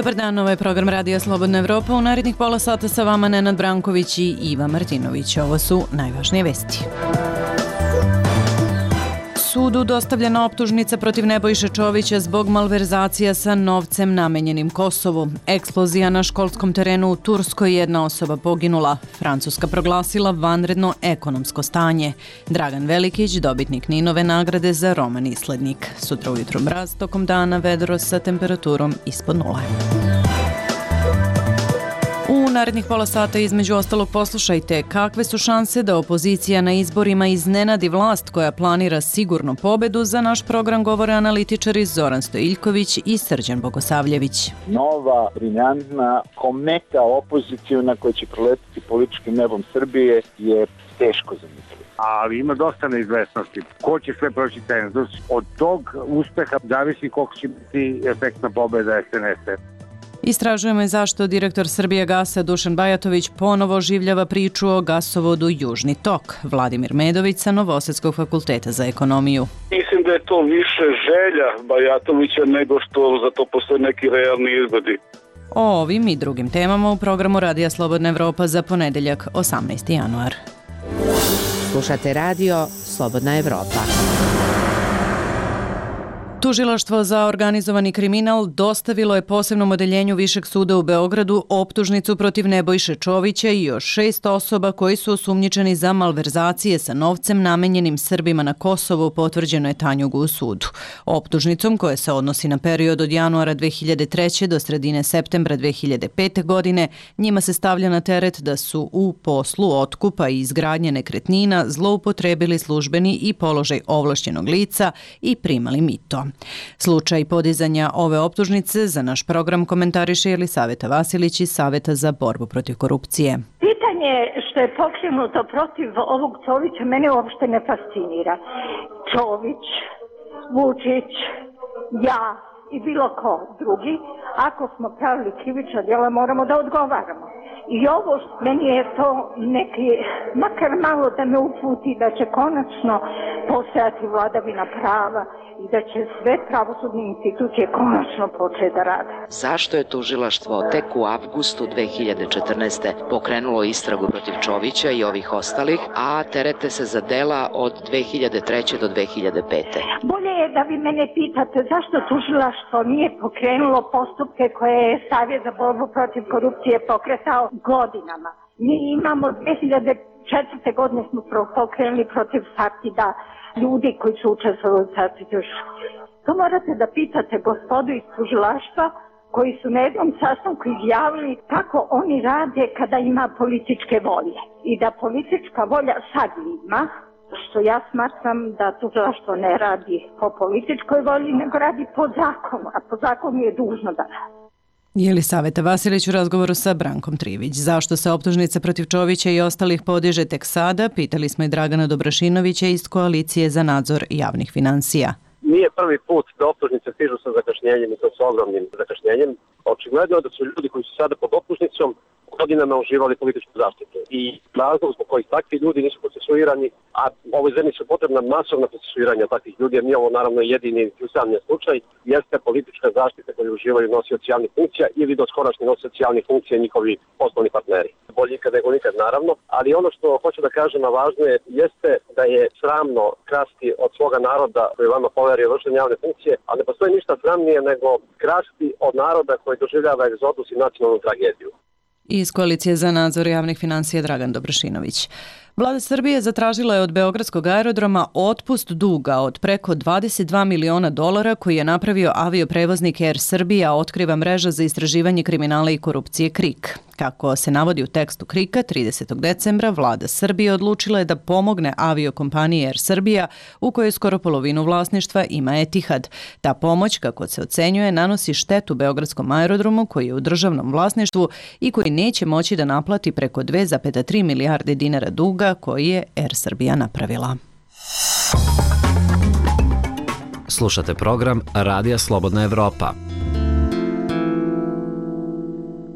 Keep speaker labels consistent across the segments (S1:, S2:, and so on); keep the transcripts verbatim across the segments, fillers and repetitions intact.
S1: Dobar dan, ovo je program Radija Slobodna Evropa. U narednih pola sata sa vama Nenad Branković i Iva Martinović. Ovo su najvažnije vesti. Sudu dostavljena optužnica protiv Nebojše Čovića zbog malverzacija sa novcem namenjenim Kosovu. Eksplozija na školskom terenu u Turskoj, jedna osoba poginula. Francuska proglasila vanredno ekonomsko stanje. Dragan Velikić, dobitnik Ninove nagrade za roman Islednik. Sutra ujutro mraz, tokom dana vedro sa temperaturom ispod nule. U narednih pola sata između ostalog poslušajte kakve su šanse da opozicija na izborima iznenadi vlast koja planira sigurnu pobedu. Za naš program govore analitičari Zoran Stojiljković i Srđan Bogosavljević.
S2: Nova, briljantna, kometa opozicijona koja će proletiti političkim nebom Srbije je teško zamisliti.
S3: Ali ima dosta neizvesnosti. Ko će sve proći cenzus? Od tog uspeha zavisi koliko će biti efektna pobeda S N S-a.
S1: Istražujemo i zašto direktor Srbijagasa Dušan Bajatović ponovo oživljava priču o gasovodu Južni tok. Vladimir Medović sa Novosadskog fakulteta za ekonomiju.
S4: Mislim da je to više želja Bajatovića nego što za to postoje neki realni izgledi.
S1: O ovim i drugim temama u programu Radija Slobodna Evropa za ponedeljak, osamnaesti januar.
S5: Slušate radio Slobodna Evropa.
S1: Tužilaštvo za organizovani kriminal dostavilo je posebnom odeljenju Višeg suda u Beogradu optužnicu protiv Nebojše Čovića i još šest osoba koji su osumnjičeni za malverzacije sa novcem namenjenim Srbima na Kosovu, potvrđeno je Tanjugu u sudu. Optužnicom, koja se odnosi na period od januara dve hiljade treće. do sredine septembra dve hiljade pete. godine, njima se stavlja na teret da su u poslu otkupa i izgradnje nekretnina zloupotrebili službeni i položaj ovlašćenog lica i primali mito. Slučaj podizanja ove optužnice za naš program komentariše Jelisaveta Vasilić iz Saveta za borbu protiv korupcije.
S6: Pitanje što je pokrenuto protiv ovog Čovića mene uopšte ne fascinira. Čović, Vučić, ja i bilo ko drugi, ako smo pravili krivična djela, moramo da odgovaramo. I ovo, meni je to neki, makar malo da me uputi da će konačno postojati vladavina prava i da će sve pravosudne institucije konačno početi da rade.
S5: Zašto je tužilaštvo tek u avgustu dve hiljade četrnaeste. pokrenulo istragu protiv Čovića i ovih ostalih, a terete se za dela od dve hiljade treće. do dve hiljade pete.
S6: Bolje je da vi mene pitate zašto tužilaštvo nije pokrenulo postupke koje je Savjet za borbu protiv korupcije pokretao godinama. Mi imamo dve hiljade četvrte. godine smo pokrenuli protiv Sartida ljudi koji su učestvovali u Sartidu. To morate da pitate gospodu iz tužilaštva koji su na jednom sastanku izjavili kako oni rade kada ima političke volje. I da politička volja sad ima, što ja smatram da tužilaštvo ne radi po političkoj volji, nego radi po zakonu, a po zakonu je dužno da radi.
S1: Jelisaveta Vasilić u razgovoru sa Brankom Trivić. Zašto se optužnica protiv Čovića i ostalih podiže tek sada? Pitali smo i Dragana Dobrašinovića iz Koalicije za nadzor javnih finansija.
S7: Nije prvi put da optužnice stižu sa zakašnjenjem i to sa ogromnim zakašnjenjem. Očigledno je da su ljudi koji su sada pod optužnicom godinama uživali političku zaštitu. I razlog zbog kojih takvi ljudi nisu procesuirani, a ovoj zemlji su potrebna masovna procesuiranja takvih ljudi, jer nije ovo naravno jedini usamljen slučaj, jeste politička zaštita koju uživaju nosioci javnih funkcija ili doskorašnji nosioci javnih funkcija i njihovi poslovni partneri. Bolje ikad nego nikad naravno, ali ono što hoću da kažem, a važno je, jeste da je sramno krasti od svoga naroda koji vama poverio vršenje javne funkcije, a ne postoji ništa sramnije nego krasti od naroda koji doživljava egzodus i nacionalnu tragediju.
S1: Iz Koalicije za nadzor javnih finansija Dragan Dobrašinović. Vlada Srbije zatražila je od Beogradskog aerodroma otpust duga od preko dvadeset dva miliona dolara koji je napravio avioprevoznik Air Srbija, otkriva mreža za istraživanje kriminala i korupcije KRIK. Kako se navodi u tekstu KRIK-a, tridesetog decembra vlada Srbije odlučila je da pomogne aviokompaniji Air Srbija, u kojoj skoro polovinu vlasništva ima Etihad. Ta pomoć, kako se ocenjuje, nanosi štetu Beogradskom aerodromu koji je u državnom vlasništvu i koji neće moći da naplati preko dve zarez tri milijarde dinara duga koji je Air Srbija napravila.
S8: Slušate program Radija Slobodna Evropa.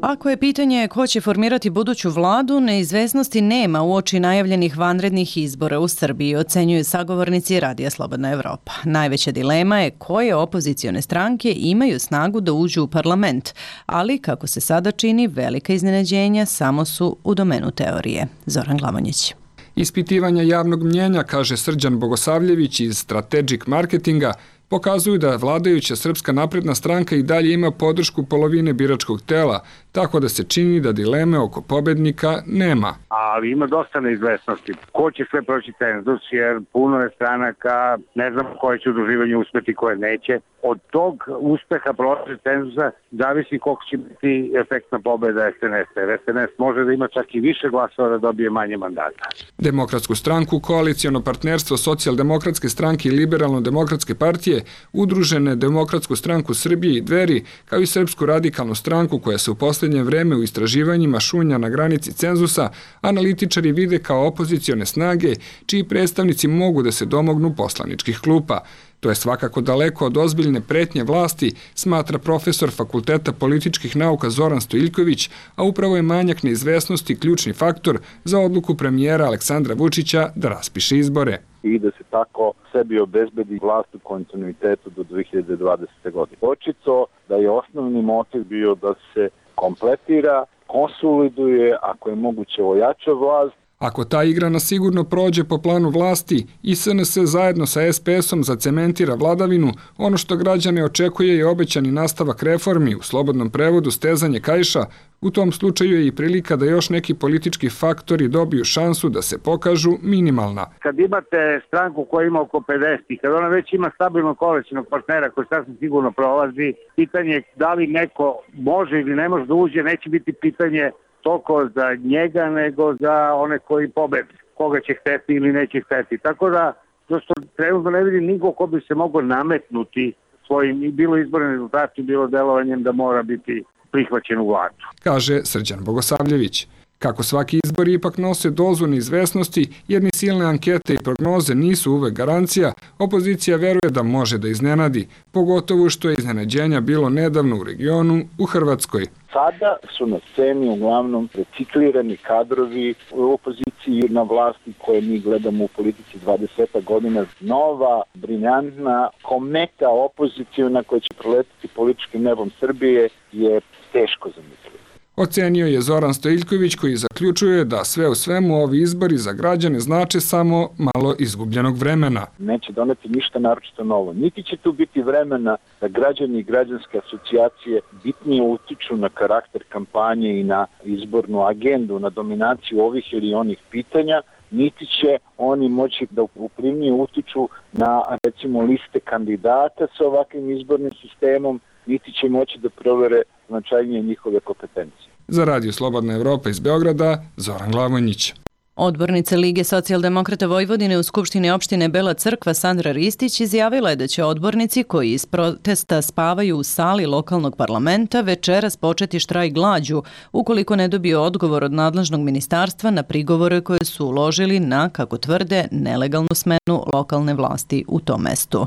S1: Ako je pitanje ko će formirati buduću vladu, neizvesnosti nema uoči najavljenih vanrednih izbora u Srbiji, ocenjuju sagovornici Radija Slobodna Evropa. Najveća dilema je koje opozicione stranke imaju snagu da uđu u parlament, ali, kako se sada čini, velika iznenađenja samo su u domenu teorije. Zoran Glavonjić.
S8: Ispitivanja javnog mnjenja, kaže Srđan Bogosavljević iz Strategic Marketinga, pokazuju da vladajuća Srpska napredna stranka i dalje ima podršku polovine biračkog tela, tako da se čini da dileme oko pobednika nema.
S3: Ali ima dosta neizvesnosti. Ko će sve proći cenzus, jer puno je stranaka, ne znam koje će udruživanje uspeti, koje neće. Od tog uspeha proći cenzusa zavisi koliko će biti efektna pobeda es en es. Jer es en es može da ima čak i više glasova da dobije manje mandata.
S8: Demokratsku stranku, koalicijono partnerstvo Socijaldemokratske stranke i Liberalno-demokratske partije, Udružene Demokratsku stranku Srbije i Dveri, kao i Srpsku radikalnu stranku koja se u poslednje vreme u istraživanjima šunja na granici cenzusa, analitičari vide kao opozicione snage čiji predstavnici mogu da se domognu poslaničkih klupa. To je svakako daleko od ozbiljne pretnje vlasti, smatra profesor Fakulteta političkih nauka Zoran Stojiljković, a upravo je manjak neizvesnosti ključni faktor za odluku premijera Aleksandra Vučića da raspiše izbore.
S2: I da se tako sebi obezbedi vlast u kontinuitetu do dve hiljade dvadesete. godine. Očito da je osnovni motiv bio da se kompletira, konsoliduje, ako je moguće ojača vlast.
S8: Ako ta igra na sigurno prođe po planu vlasti i es en es zajedno sa es pe esom zacementira vladavinu, ono što građane očekuje je obećani nastavak reformi, u slobodnom prevodu stezanje kaiša, u tom slučaju je i prilika da još neki politički faktori dobiju šansu da se pokažu minimalna.
S3: Kad imate stranku koja ima oko pedeset i kad ona već ima stabilnog koalicionog partnera koji sasvim sigurno prolazi, pitanje je da li neko može ili ne može da uđe, neće biti pitanje toliko za njega nego za one koji pobede, koga će hteti ili neće hteti. Tako da, prosto trenutno ne vidim niko ko bi se mogao nametnuti svojim, bilo izbornim rezultatima, bilo delovanjem da mora biti prihvaćen u vladu.
S8: Kaže Srđan Bogosavljević. Kako svaki izbor ipak nose dozu neizvesnosti, jer ni silne ankete i prognoze nisu uvek garancija, opozicija veruje da može da iznenadi, pogotovo što je iznenađenja bilo nedavno u regionu, u Hrvatskoj.
S2: Sada su na sceni uglavnom reciklirani kadrovi u opoziciji na vlasti koje mi gledamo u politici dvadeset godina. Nova, briljantna, kometa opozicijona koja će proletiti političkim nebom Srbije je teško zamisliti.
S8: Ocenio je Zoran Stojiljković koji zaključuje da sve u svemu ovi izbori za građane znače samo malo izgubljenog vremena.
S2: Neće doneti ništa naročito novo. Niti će tu biti vremena da građani i građanske asocijacije bitnije utiču na karakter kampanje i na izbornu agendu, na dominaciju ovih ili onih pitanja, niti će oni moći da uprivnije utiču na, recimo, liste kandidata sa ovakvim izbornim sistemom, niti će moći da provere značajnije njihove kompetencije.
S8: Za Radio Slobodna Evropa iz Beograda, Zoran Glavonjić.
S1: Odbornica Lige socijaldemokrata Vojvodine u Skupštini opštine Bela Crkva Sandra Ristić izjavila je da će odbornici koji iz protesta spavaju u sali lokalnog parlamenta večeras početi štrajk glađu ukoliko ne dobiju odgovor od nadležnog ministarstva na prigovore koje su uložili na, kako tvrde, nelegalnu smenu lokalne vlasti u tom mestu.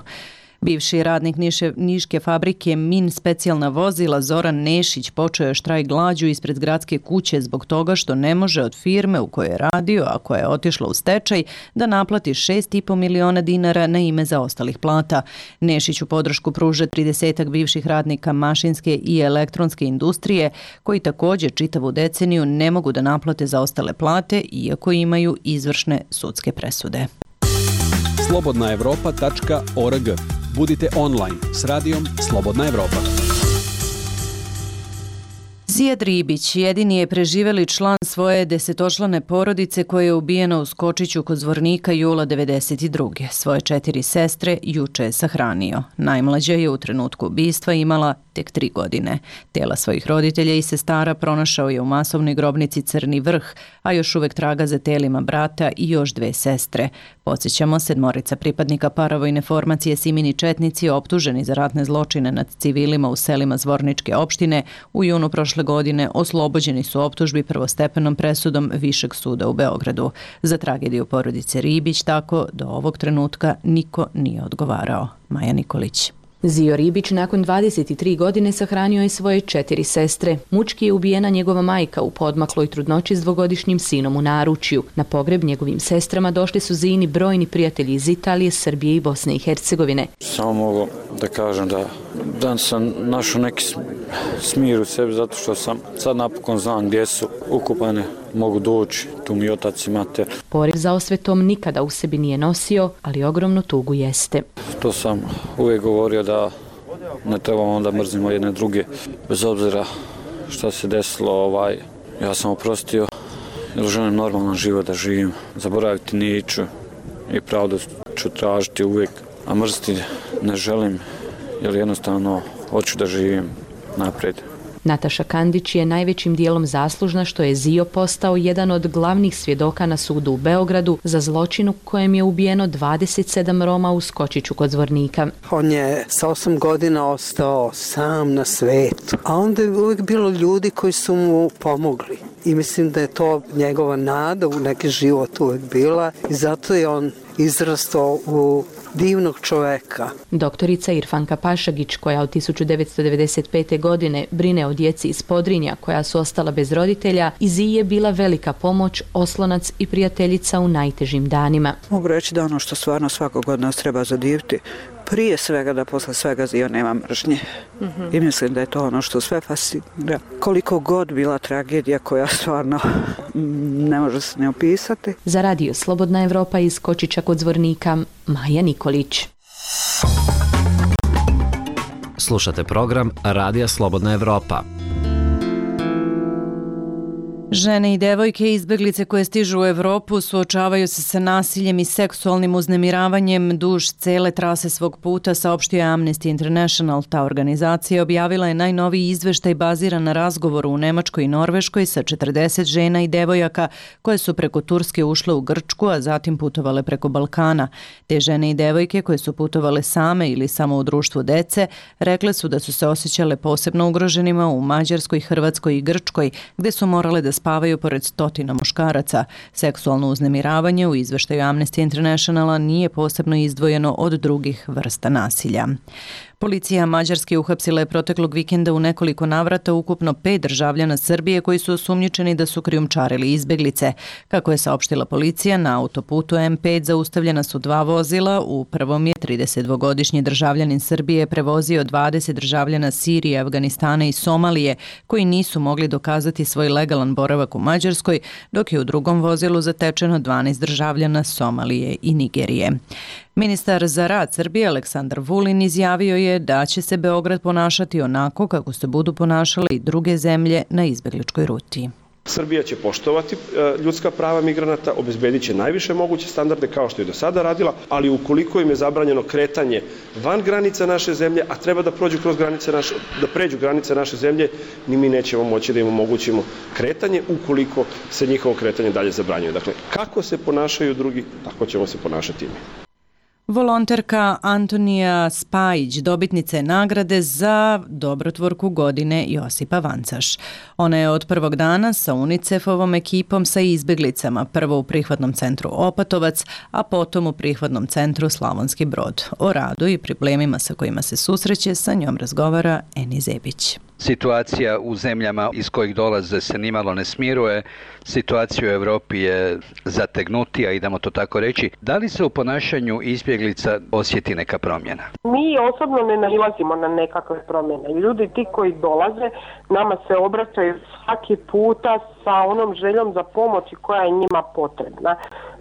S1: Bivši radnik Niše, niške fabrike Min specijalna vozila Zoran Nešić počeo je štrajk glađu ispred gradske kuće zbog toga što ne može od firme u kojoj je radio, a koja je otišla u stečaj, da naplati šest i po miliona dinara na ime zaostalih plata. Nešiću podršku pruža tridesetak bivših radnika mašinske i elektronske industrije, koji također čitavu deceniju ne mogu da naplate zaostale plate, iako imaju izvršne sudske presude.
S9: slobodna evropa tačka org. Budite online s radijom Slobodna Evropa.
S1: Zijad Ribić jedini je preživeli član svoje desetočlane porodice koje je ubijeno u Skočiću kod Zvornika jula devedeset druge. Svoje četiri sestre juče je sahranio. Najmlađa je u trenutku ubistva imala tek tri godine. Tela svojih roditelja i sestara pronašao je u masovnoj grobnici Crni Vrh, a još uvek traga za telima brata i još dve sestre. Podsjećamo, sedmorica pripadnika paravojne formacije Simini četnici optuženi za ratne zločine nad civilima u selima Zvorničke opštine u junu prošle godine oslobođeni su optužbi prvostepenom presudom Višeg suda u Beogradu. Za tragediju porodice Ribić tako do ovog trenutka niko nije odgovarao. Maja Nikolić.
S10: Zio Ribić nakon dvadeset tri godine sahranio je svoje četiri sestre. Mučki je ubijena njegova majka u poodmakloj trudnoći s dvogodišnjim sinom u naručju. Na pogreb njegovim sestrama došli su Zijini brojni prijatelji iz Italije, Srbije i Bosne i Hercegovine.
S11: Samo mogu da kažem da danas sam našao neki smir u sebi zato što sam sad napokon znam gdje su ukupane, mogu doći, tu mi otac i mater.
S10: Poriv za osvetom nikada u sebi nije nosio, ali ogromnu tugu jeste.
S11: To sam uvijek govorio da ne trebamo onda mrzimo jedne druge, bez obzira što se desilo, ovaj, ja sam oprostio jer želim normalan život da živim, zaboraviti neću i pravdu ću tražiti uvijek, a mrziti ne želim jer jednostavno hoću da živim naprijed.
S10: Nataša Kandić je najvećim dijelom zaslužna što je Zio postao jedan od glavnih svjedoka na sudu u Beogradu za zločin u kojem je ubijeno dvadeset sedam Roma u Skočiću kod Zvornika.
S12: On je sa osam godina ostao sam na svetu, a onda je uvijek bilo ljudi koji su mu pomogli. I mislim da je to njegova nada u neki život uvijek bila i zato je on izrastao u divnog čoveka.
S10: Doktorica Irfanka Pašagić, koja od tisuću devetsto devedeset pete. godine brine o djeci iz Podrinja koja su ostala bez roditelja, i Ziji je bila velika pomoć, oslonac i prijateljica u najtežim danima.
S13: Mogu reći da ono što stvarno svakog od nas treba zadiviti, prije svega da posle svega Zio nema mržnje. Mm-hmm. I mislim da je to ono što sve fascinira. Koliko god bila tragedija koja stvarno ne može se ne opisati.
S10: Za radio Slobodna Evropa iz Skočića kod Zvornika, Maja Nikolić.
S14: Slušate program Radija Slobodna Evropa.
S1: Žene i devojke izbeglice koje stižu u Evropu suočavaju se sa nasiljem i seksualnim uznemiravanjem duž cele trase svog puta, saopštio je Amnesty International. Ta organizacija objavila je najnoviji izveštaj baziran na razgovoru u Nemačkoj i Norveškoj sa četrdeset žena i devojaka koje su preko Turske ušle u Grčku, a zatim putovale preko Balkana. Te žene i devojke koje su putovale same ili samo u društvu dece rekle su da su se osjećale posebno ugroženima u Mađarskoj, Hrvatskoj i Grčkoj, gde su morale da spavaju pored stotina muškaraca. Seksualno uznemiravanje u izveštaju Amnesty Internationala nije posebno izdvojeno od drugih vrsta nasilja. Policija Mađarske uhapsila je proteklog vikenda u nekoliko navrata ukupno pet državljana Srbije koji su osumnjičeni da su krijumčarili izbeglice. Kako je saopštila policija, na autoputu M pet zaustavljena su dva vozila. U prvom je tridesetdvogodišnji državljanin Srbije prevozio dvadeset državljana Sirije, Afganistana i Somalije koji nisu mogli dokazati svoj legalan boravak u Mađarskoj, dok je u drugom vozilu zatečeno dvanaest državljana Somalije i Nigerije. Ministar za rad Srbije Aleksandar Vulin izjavio je da će se Beograd ponašati onako kako se budu ponašale i druge zemlje na izbegličkoj ruti.
S15: Srbija će poštovati ljudska prava migranata, obezbedit će najviše moguće standarde kao što je do sada radila, ali ukoliko im je zabranjeno kretanje van granica naše zemlje, a treba da prođu kroz granice naše, da pređu granice naše zemlje, ni mi nećemo moći da im omogućimo kretanje ukoliko se njihovo kretanje dalje zabranjuje. Dakle, kako se ponašaju drugi, tako ćemo se ponašati i mi.
S1: Volonterka Antonija Spajić dobitnica je nagrade za dobrotvorku godine Josipa Vancaš. Ona je od prvog dana sa UNICEF-ovom ekipom sa izbeglicama, prvo u prihvatnom centru Opatovac, a potom u prihvatnom centru Slavonski Brod. O radu i problemima sa kojima se susreće sa njom razgovara Eni Zebić.
S16: Situacija u zemljama iz kojih dolaze se nimalo ne smiruje, situacija u Evropi je zategnutija, idemo to tako reći. Da li se u ponašanju izbjeglica osjeti neka promjena?
S17: Mi osobno ne nailazimo na nekakve promjene. Ljudi ti koji dolaze nama se obraćaju svaki puta sa onom željom za pomoći koja je njima potrebna.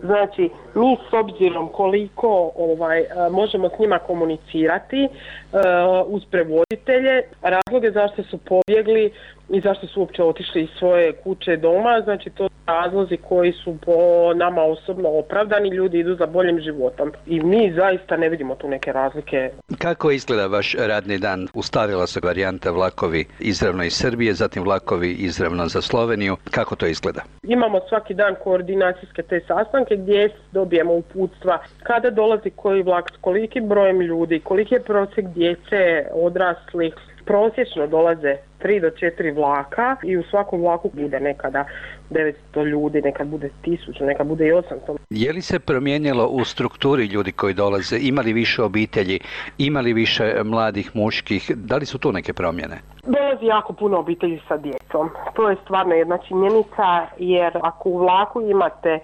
S17: Znači, mi s obzirom koliko ovaj, možemo s njima komunicirati uh, uz prevoditelje, razloge zašto su pobjegli i zašto su uopće otišli iz svoje kuće doma, znači to su razlozi koji su po nama osobno opravdani, ljudi idu za boljim životom i mi zaista ne vidimo tu neke razlike.
S16: Kako izgleda vaš radni dan? Ustavila se varijanta vlakovi izravno iz Srbije, zatim vlakovi izravno za Sloveniju. Kako to izgleda?
S17: Imamo svaki dan koordinacijske te sastanke gdje dobijemo uputstva kada dolazi koji vlak s kolikim brojem ljudi, koliki je prosjek djece, odraslih. Prosječno dolaze tri do četiri vlaka i u svakom vlaku bude nekada devetsto ljudi, nekad bude tisuću, nekad bude i osamsto.
S16: Je li se promijenilo u strukturi ljudi koji dolaze? Ima li više obitelji? Ima li više mladih muških? Da li su tu neke promjene?
S17: Dolazi jako puno obitelji sa djecom. To je stvarno jedna činjenica, jer ako u vlaku imate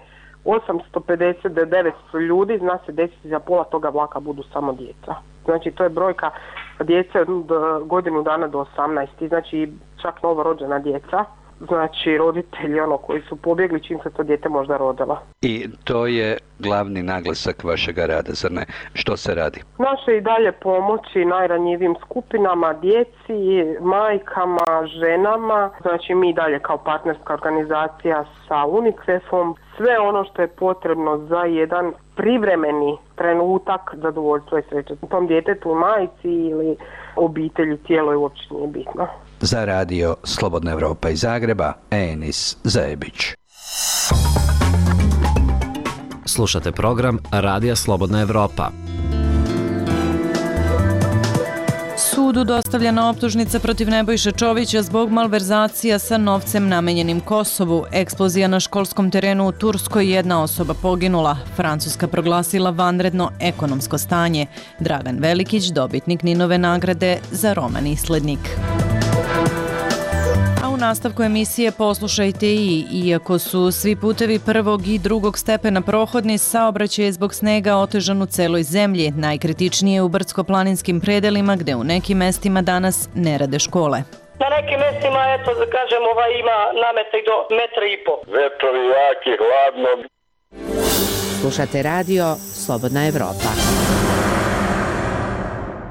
S17: osamsto pedeset do devetsto ljudi, zna se desiti za pola toga vlaka budu samo djeca. Znači to je brojka djece od godinu dana do osamnaest, znači čak novorođena djeca. Znači roditelji ono koji su pobjegli čim se to dijete možda rodila.
S16: I to je glavni naglasak vašega rada, zar ne? Što se radi?
S17: Naše i dalje pomoći najranjivijim skupinama, djeci, majkama, ženama. Znači mi dalje kao partnerska organizacija sa UNICEF-om sve ono što je potrebno za jedan privremeni trenutak zadovoljstva i sreće. Tom djetetu, majci ili obitelji, tijelo je uopće nije bitno.
S16: Za radio Slobodna Evropa iz Zagreba, Enis Zajebić.
S14: Slušate program Radija Slobodna Evropa.
S1: Sudu dostavljena optužnica protiv Nebojše Čovića zbog malverzacija sa novcem namenjenim Kosovu. Eksplozija na školskom terenu u Turskoj, jedna osoba poginula. Francuska proglasila vanredno ekonomsko stanje. Dragan Velikić, dobitnik Ninove nagrade za roman Islednik. U nastavku emisije poslušajte i, iako su svi putevi prvog i drugog stepena prohodni, saobraćaj je zbog snega otežan u celoj zemlji, najkritičnije u brdsko-planinskim predelima gde u nekim mestima danas ne rade škole.
S18: Na nekim mestima, eto, da kažem, ovaj ima namete do metra i po.
S4: Vetrovi jaki, hladno.
S19: Slušate radio Slobodna Evropa.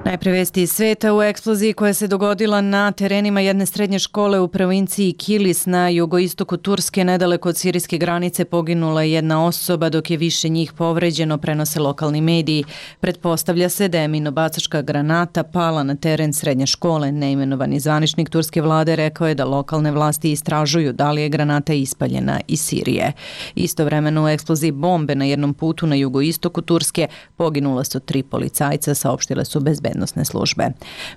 S1: Najpre vesti iz sveta. U eksploziji koja se dogodila na terenima jedne srednje škole u provinciji Kilis na jugoistoku Turske, nedaleko od sirijske granice, poginula je jedna osoba, dok je više njih povređeno, prenose lokalni mediji. Pretpostavlja se da je minobacačka granata pala na teren srednje škole. Neimenovani zvaničnik turske vlade rekao je da lokalne vlasti istražuju da li je granata ispaljena iz Sirije. Istovremeno u eksploziji bombe na jednom putu na jugoistoku Turske poginula su tri policajca, saopštile su bezbednosti službe.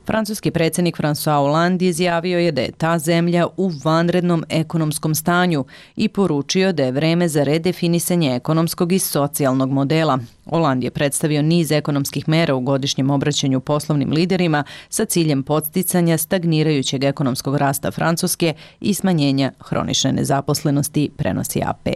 S1: Francuski predsjednik François Hollande izjavio je da je ta zemlja u vanrednom ekonomskom stanju i poručio da je vreme za redefinisanje ekonomskog i socijalnog modela. Hollande je predstavio niz ekonomskih mera u godišnjem obraćanju poslovnim liderima sa ciljem podsticanja stagnirajućeg ekonomskog rasta Francuske i smanjenja hronične nezaposlenosti, prenosi A P.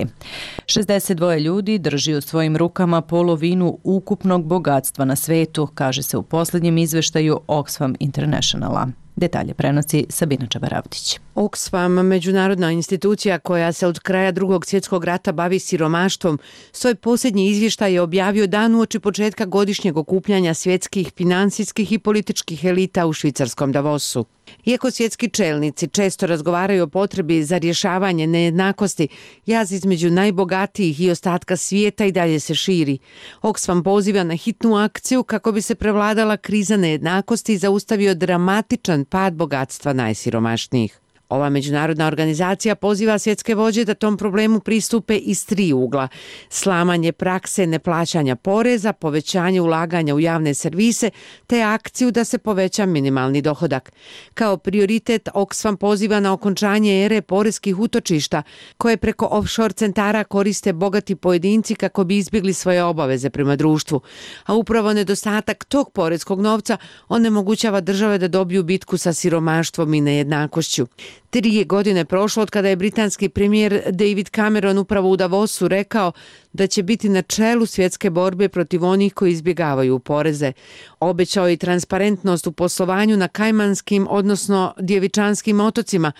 S1: šezdeset dva ljudi drži u svojim rukama polovinu ukupnog bogatstva na svetu, kaže se u posljednjem izveštaju Oxfam Internationala. Detalje prenosi Sabina Čabaravdić.
S19: Oxfam, međunarodna institucija koja se od kraja drugog svjetskog rata bavi siromaštvom, svoj posljednji izvještaj je objavio dan uoči početka godišnjeg okupljanja svjetskih finansijskih i političkih elita u švicarskom Davosu. Iako svjetski čelnici često razgovaraju o potrebi za rješavanje nejednakosti, jaz između najbogatijih i ostatka svijeta i dalje se širi. Oxfam poziva na hitnu akciju kako bi se prevladala kriza nejednakosti i zaustavio dramatičan pad bogatstva najsiromašnijih. Ova međunarodna organizacija poziva svjetske vođe da tom problemu pristupe iz tri ugla: slamanje prakse neplaćanja poreza, povećanje ulaganja u javne servise te akciju da se poveća minimalni dohodak. Kao prioritet Oxfam poziva na okončanje ere poreskih utočišta koje preko offshore centara koriste bogati pojedinci kako bi izbjegli svoje obaveze prema društvu, a upravo nedostatak tog poreskog novca onemogućava države da dobiju bitku sa siromaštvom i nejednakošću. Tri je godine prošlo od kada je britanski premijer David Cameron upravo u Davosu rekao da će biti na čelu svjetske borbe protiv onih koji izbjegavaju poreze. Obećao je i transparentnost u poslovanju na Kajmanskim, odnosno Djevičanskim otocima,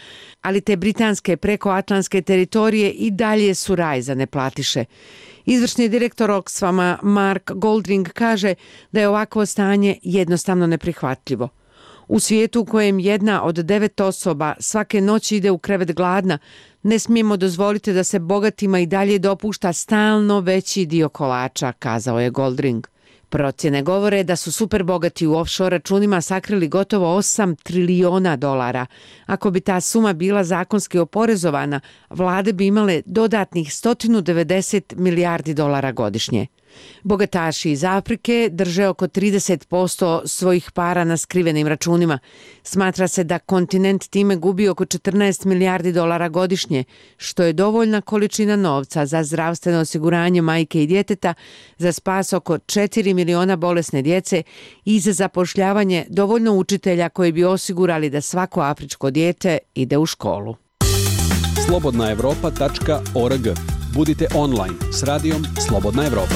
S19: ali te britanske prekoatlantske teritorije i dalje su raj za neplatiše. Izvršni direktor Oxfama Mark Goldring kaže da je ovakvo stanje jednostavno neprihvatljivo. U svijetu u kojem jedna od devet osoba svake noći ide u krevet gladna, ne smijemo dozvoliti da se bogatima i dalje dopušta stalno veći dio kolača, kazao je Goldring. Procjene govore da su superbogati u offshore računima sakrili gotovo osam trilijona dolara. Ako bi ta suma bila zakonski oporezovana, vlade bi imale dodatnih sto devedeset milijardi dolara godišnje. Bogataši iz Afrike drže oko trideset posto svojih para na skrivenim računima. Smatra se da kontinent time gubi oko četrnaest milijardi dolara godišnje, što je dovoljna količina novca za zdravstveno osiguranje majke i djeteta, za spas oko četiri miliona bolesne djece i za zapošljavanje dovoljno učitelja koji bi osigurali da svako afričko dijete ide u školu.
S9: slobodna evropa tačka org. Budite online s radijom Slobodna Evropa.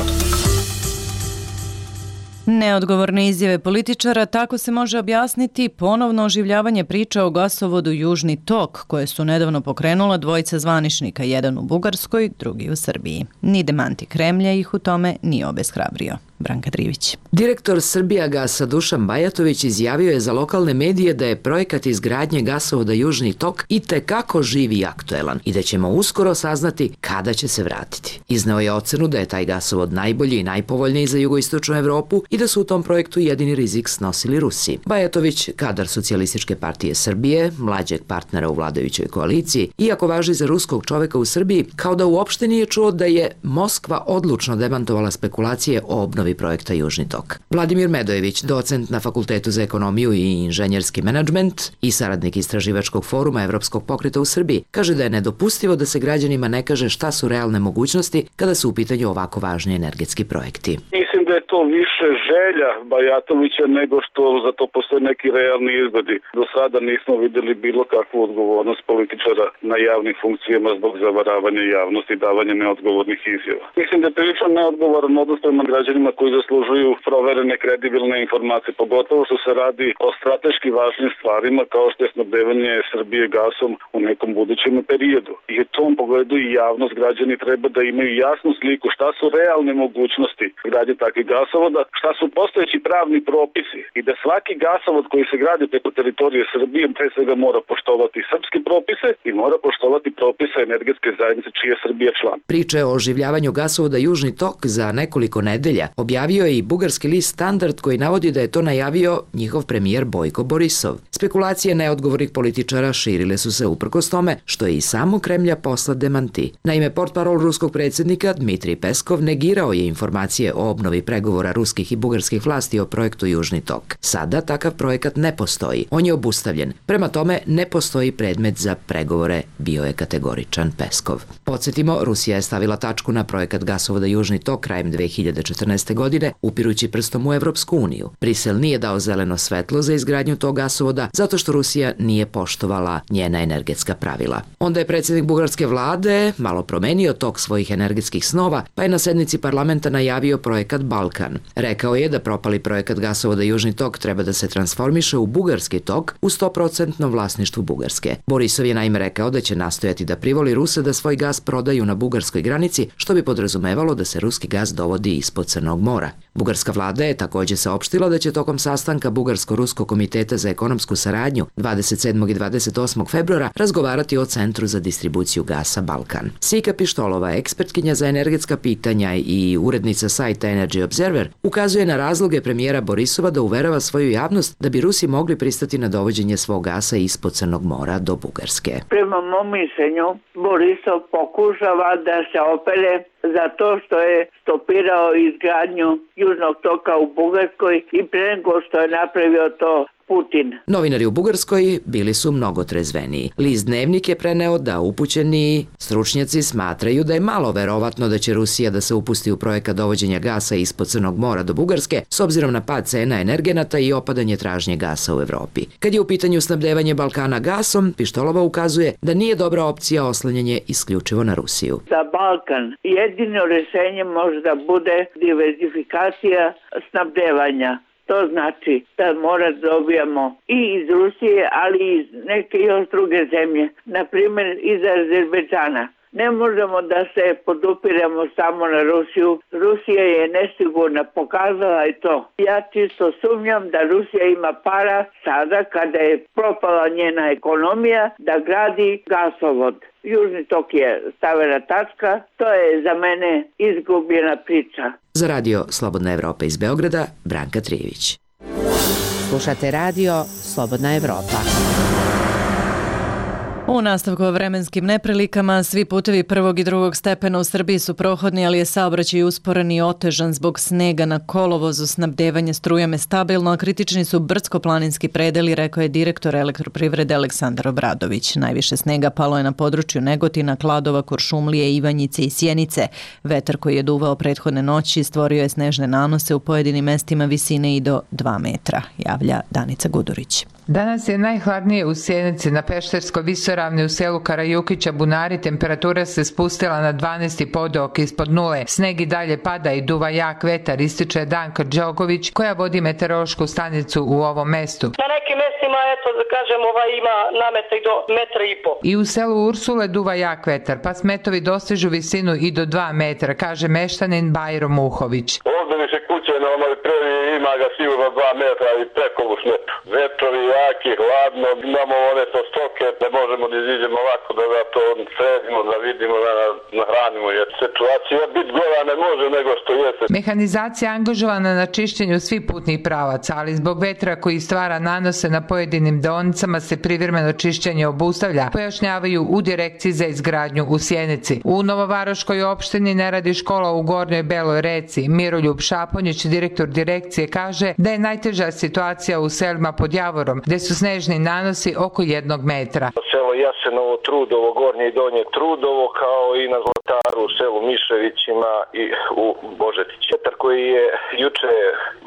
S1: Neodgovorne izjave političara, tako se može objasniti ponovno oživljavanje priča o gasovodu Južni tok, koje su nedavno pokrenula dvojica zvaničnika, jedan u Bugarskoj, drugi u Srbiji. Ni demanti Kremlja ih u tome nije obeshrabrio. Branka Trivić.
S5: Direktor Srbijagasa Dušan Bajatović izjavio je za lokalne medije da je projekat izgradnje gasovoda Južni tok i tekako živ i aktuelan i da ćemo uskoro saznati kada će se vratiti. Izneo je ocenu da je taj gasovod najbolji i najpovoljniji za jugoistočnu Evropu i da su u tom projektu jedini rizik snosili Rusi. Bajatović, kadar Socijalističke partije Srbije, mlađeg partnera u vladajućoj koaliciji, iako važi za ruskog čoveka u Srbiji, kao da uopšte nije čuo da je Moskva odlučno demantovala spekulacije o obnovi projekta Južni tok. Vladimir Medojević, docent na Fakultetu za ekonomiju i inženjerski menadžment i saradnik istraživačkog foruma Evropskog pokreta u Srbiji, kaže da je nedopustivo da se građanima ne kaže šta su realne mogućnosti kada su u pitanju ovako važni energetski projekti.
S4: Mislim da je to više želja Bajatovića nego što za to postoje neki realni izgledi. Do sada nismo videli bilo kakvu odgovornost političara na javnim funkcijama zbog zavaravanja javnosti i davanja neodgovornih izjava. Mislim da je prilično neodgovoran odnos prema građanima koji zaslužuju proverene kredibilne informacije, pogotovo što se radi o strateški važnim stvarima kao što je snabdevanje Srbije gasom u nekom budućem periodu. I u tom pogledu i javnost, građani treba da imaju jasnu sliku šta su realne mogućnosti gradnje takvih gasovoda, šta su postojeći pravni propisi i da svaki gasovod koji se gradi preko teritorije Srbije pre svega mora poštovati srpske propise i mora poštovati propise energetske zajednice čiji je Srbija član.
S5: Priče o oživljavanju gasovoda Južni tok za nekoliko nedelja objavio je i bugarski list Standard koji navodi da je to najavio njihov premijer Bojko Borisov. Spekulacije neodgovornih političara širile su se uprkos tome što je i samo Kremlja poslat demanti. Naime, portparol ruskog predsjednika Dmitrij Peskov negirao je informacije o obnovi pregovora ruskih i bugarskih vlasti o projektu Južni tok. Sada takav projekat ne postoji. On je obustavljen. Prema tome, ne postoji predmet za pregovore, bio je kategoričan Peskov. Podsjetimo, Rusija je stavila tačku na projekat gasovoda Južni tok krajem dve hiljade četrnaeste. godine, upirući prstom u Evropsku uniju. Brisel nije dao zeleno svetlo za izgradnju tog gasovoda zato što Rusija nije poštovala njena energetska pravila. Onda je predsjednik bugarske vlade malo promenio tok svojih energetskih snova, pa je na sednici parlamenta najavio projekat Balkan. Rekao je da propali projekat gasovoda Južni tok treba da se transformiše u bugarski tok u sto posto vlasništvu Bugarske. Borisov je naime rekao da će nastojati da privoli Ruse da svoj gas prodaju na bugarskoj granici, što bi podrazumevalo da se ruski gas dovodi ispod Crnog mora. Bugarska vlada je također saopštila da će tokom sastanka Bugarsko-Ruskog komiteta za ekonomsku saradnju dvadeset sedmog i dvadeset osmog februara razgovarati o Centru za distribuciju gasa Balkan. Sika Pištolova, ekspertkinja za energetska pitanja i urednica sajta Energy Observer, ukazuje na razloge premijera Borisova da uverava svoju javnost da bi Rusi mogli pristati na dovođenje svog gasa ispod Crnog mora do Bugarske.
S20: Prema mom mišljenju, Borisov pokušava da se opere za to što je stopirao izgradnju Južnog toka u Bugarskoj i pre nego što je napravio to Putin.
S5: Novinari u Bugarskoj bili su mnogo trezveniji. List Dnevnik je preneo da upućeni stručnjaci smatraju da je malo verovatno da će Rusija da se upusti u projekat dovođenja gasa ispod Crnog mora do Bugarske s obzirom na pad cena energenata i opadanje tražnje gasa u Evropi. Kad je u pitanju snabdevanje Balkana gasom, Pištolova ukazuje da nije dobra opcija oslanjanje isključivo na Rusiju.
S20: Za Balkan jedino rešenje može da bude diverzifikacija snabdevanja. To znači da mora da dobijamo i iz Rusije, ali i iz neke još druge zemlje, na primjer iz Azerbejdžana. Ne možemo da se podupiramo samo na Rusiju. Rusija je nesigurna, pokazala je to. Ja čisto sumnjam da Rusija ima para sada kada je propala njena ekonomija da gradi gasovod. Južni tok je stavena tačka, to je za mene izgubljena priča.
S5: Za radio Slobodna Evropa iz Beograda, Branka Trivić.
S19: Slušate radio Slobodna Evropa.
S1: U nastavku o vremenskim neprilikama, svi putevi prvog i drugog stepena u Srbiji su prohodni, ali je saobraćaj usporen i otežan zbog snega na kolovozu. Snabdevanje strujom je stabilno, a kritični su brdsko-planinski predeli, rekao je direktor Elektroprivrede Aleksandar Obradović. Najviše snega palo je na području Negotina, Kladova, Kuršumlije, Ivanjice i Sjenice. Vetar koji je duvao prethodne noći stvorio je snežne nanose u pojedinim mestima visine i do dva metra, javlja Danica Gudurić.
S21: Danas je najhladnije u Sjenici, na Pešterskoj visoravni u selu Karajukića Bunari temperatura se spustila na dvanaest i po dok ispod nule. Sneg i dalje pada i duva jak vetar, ističe Danka Đogović koja vodi meteorološku stanicu u ovom mestu.
S18: Na nekim mestima, eto da kažem, ovaj ima nameta i do metra i po.
S21: I u selu Ursule duva jak vetar, pa smetovi dostižu visinu i do dva metra, kaže meštanin Bajro Muhović.
S22: Ovdje više kuće na onoj prvi ima ga sigurno dva metra i preko u smetu. Vetrovi jaki, hladno, imamo one to stoke, ne možemo da iziđemo ovako da ga to sredimo, da vidimo, da nahranimo. Jer situacija biti gora ne može nego što jeste.
S21: Mehanizacija angažovana na čišćenju svih putnih pravaca, ali zbog vetra koji stvara nanose na pojedinim deonicama se privremeno čišćenje obustavlja, pojašnjavaju u direkciji za izgradnju u Sjenici. U Novovaroškoj opštini ne radi škola u Gornjoj Beloj Reci. Miroljub Šaponjić, direktor direkcije, kaže da je najteža situacija u selima pod Javorom, gde su snežni nanosi oko jednog metra.
S22: Selo Jasenovo, Trudovo, Gornje i Donje Trudovo, kao i na Zlataru, u selu Miševićima i u Božetići. Vetar koji je juče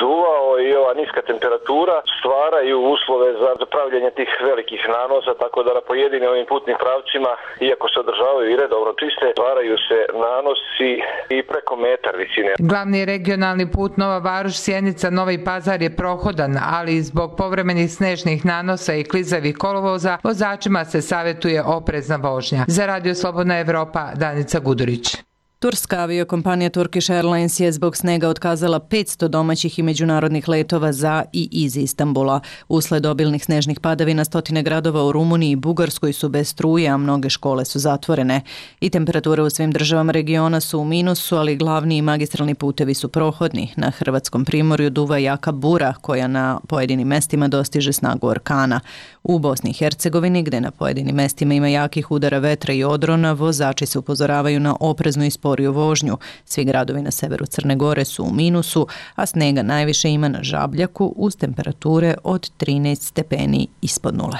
S22: duvao i ova niska temperatura stvaraju uslove za pravljenje tih velikih nanosa, tako da na pojedinim ovim putnim pravcima, iako se održavaju i redovno čiste, stvaraju se nanosi i preko metar visine.
S21: Glavni regionalni put Nova Varoš, Sjenica, Novi Pazar je prohodan, ali zbog povremenih snežnih nanosa i klizavih kolovoza vozačima se savjetuje oprezna vožnja. Za Radio Slobodna Evropa, Danica Gudurić.
S1: Turska aviokompanija Turkish Airlines je zbog snega otkazala petsto domaćih i međunarodnih letova za i iz Istanbula. Usled obilnih snežnih padavina stotine gradova u Rumuniji i Bugarskoj su bez struje, a mnoge škole su zatvorene. I temperature u svim državama regiona su u minusu, ali glavni i magistralni putevi su prohodni. Na hrvatskom primorju duva jaka bura koja na pojedinim mestima dostiže snagu orkana. U Bosni i Hercegovini, gde na pojedinim mestima ima jakih udara vetra i odrona, vozači se upozoravaju na opreznu i sporiju vožnju. Svi gradovi na severu Crne Gore su u minusu, a snega najviše ima na Žabljaku uz temperature od trinaest stepeni ispod nule.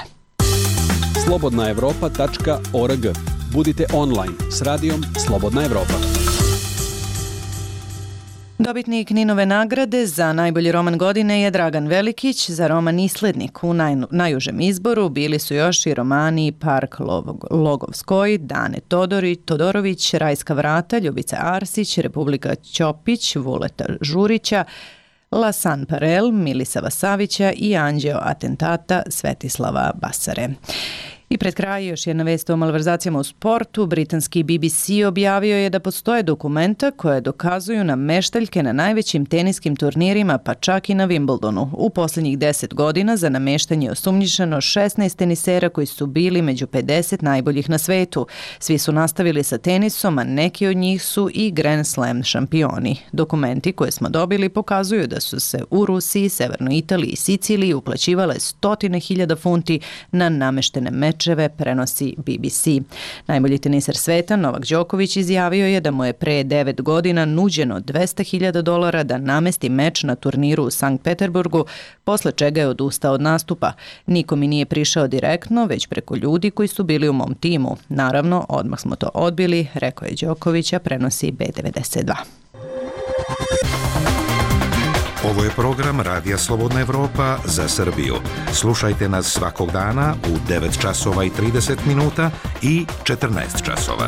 S9: slobodna evropa tačka org. Budite online s radijom Slobodna Evropa.
S1: Dobitnik Ninove nagrade za najbolji roman godine je Dragan Velikić za roman Islednik. U naj, najužem izboru bili su još i romani Park Logovskoj, Dane Todori, Todorović, Rajska vrata, Ljubica Arsić, Republika Ćopić, Vuleta Žurića, Lasan Parel, Milisava Savića i Anđeo Atentata Svetislava Basare. I pred kraj još jedna vest o malverzacijama u sportu. Britanski B B C objavio je da postoje dokumenta koje dokazuju nameštaljke na najvećim teniskim turnirima, pa čak i na Wimbledonu. U posljednjih deset godina za nameštanje je osumnjičeno šesnaest tenisera koji su bili među pedeset najboljih na svetu. Svi su nastavili sa tenisom, a neki od njih su i Grand Slam šampioni. Dokumenti koje smo dobili pokazuju da su se u Rusiji, Severnoj Italiji i Siciliji uplaćivale stotine hiljada funti na nameštene meče, prenosi B B C. Najbolji teniser sveta Novak Đoković izjavio je da mu je pre devet godina nuđeno dvesta hiljada dolara da namesti meč na turniru u Sankt Peterburgu, posle čega je odustao od nastupa. Niko mi nije prišao direktno, već preko ljudi koji su bili u mom timu. Naravno, odmah smo to odbili, rekao je Đoković, a prenosi B devedeset dva.
S23: Ovo je program Radija Slobodna Evropa za Srbiju. Slušajte nas svakog dana u devet časova i trideset minuta i četrnaest časova.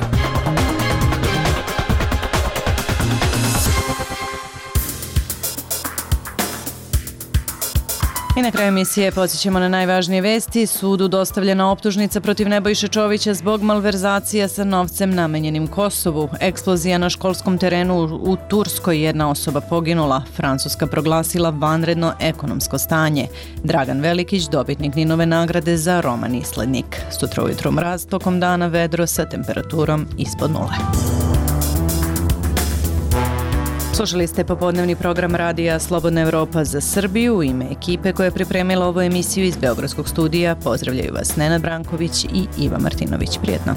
S1: I na kraju emisije podsjećamo na najvažnije vesti. Sudu dostavljena optužnica protiv Nebojše Čovića zbog malverzacija sa novcem namenjenim Kosovu. Eksplozija na školskom terenu u Turskoj, jedna osoba poginula. Francuska proglasila vanredno ekonomsko stanje. Dragan Velikić, dobitnik Ninove nagrade za roman Islednik. Sutra ujutro mraz, tokom dana vedro sa temperaturom ispod nule. Slušali ste popodnevni program radija Slobodna Evropa za Srbiju. U ime ekipe koja je pripremila ovu emisiju iz Beogradskog studija pozdravljaju vas Nenad Branković i Iva Martinović. Prijetno.